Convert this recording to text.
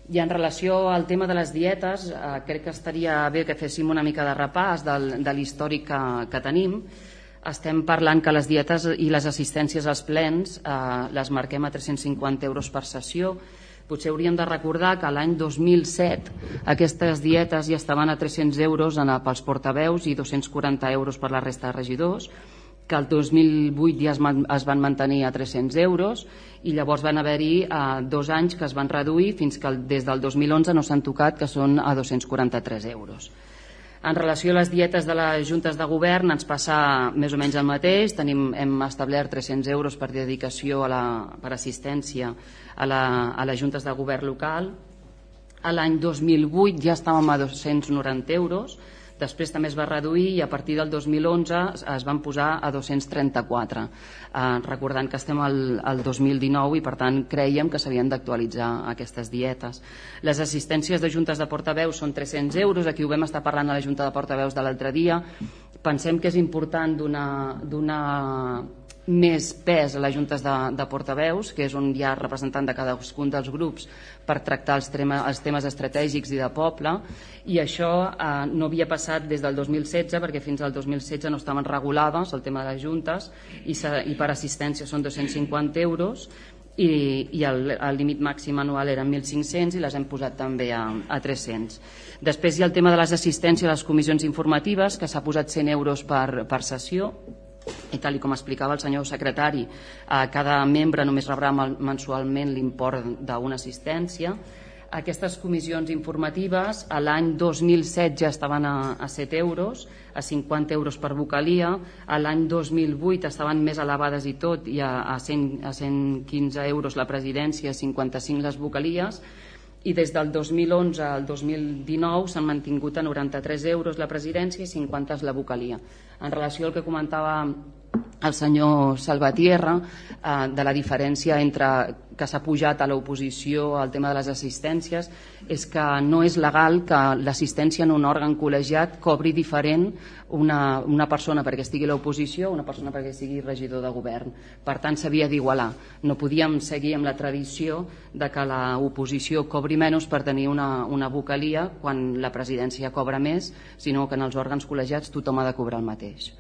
I en relació al tema de les dietes, crec que estaria bé que féssim una mica de repàs de l'històric que tenim. Estem parlant que les dietes i les assistències als plens les marquem a 350 euros per sessió. Potser hauríem de recordar que l'any 2007 aquestes dietes ja estaven a 300 euros pels portaveus i 240 euros per la resta de regidors, que el 2008 ja es van mantenir a 300 euros i llavors van haver-hi 2 anys que es van reduir fins que des del 2011 no s'han tocat, que són a 243 euros. En relació a les dietes de les juntes de govern ens passa més o menys el mateix. Hem establert 300 euros per dedicació per assistència a les juntes de govern local. L'any 2008 ja estàvem a 290 euros, després també es va reduir i a partir del 2011 es van posar a 234, recordant que estem al 2019 i per tant creiem que s'havien d'actualitzar aquestes dietes. Les assistències de juntes de portaveus són 300 euros, aquí ho vam estar parlant a la junta de portaveus de l'altre dia. Pensem que és important donar més pes a les juntes de portaveus, que és on hi ha representant de cadascun dels grups per tractar els temes estratègics i de poble, i això no havia passat des del 2016 perquè fins al 2016 no estaven regulades el tema de les juntes i per assistència són 250 euros i el límit màxim anual eren 1.500 i les hem posat també a 300. Després hi ha el tema de les assistències a les comissions informatives, que s'ha posat 100 euros per sessió, i tal com explicava el senyor secretari, cada membre només rebrà mensualment l'import d'una assistència. Aquestes comissions informatives l'any 2007 ja estaven a 7 euros, a 50 euros per vocalia, l'any 2008 estaven més elevades i tot, i a 115 euros la presidència, 55 les vocalies, i des del 2011 al 2019 s'han mantingut a 93 euros la presidència i 50 la vocalia. En relació al que comentava el senyor Salvatierra de la diferència entre que s'ha pujat a l'oposició al tema de les assistències, és que no és legal que l'assistència en un òrgan col·legiat cobri diferent una persona perquè estigui a l'oposició o una persona perquè sigui regidor de govern. Per tant, s'havia d'igualar. No podíem seguir amb la tradició de que l'oposició cobri menys per tenir una vocalia quan la presidència cobra més, sinó que en els òrgans col·legiats tothom ha de cobrar el mateix.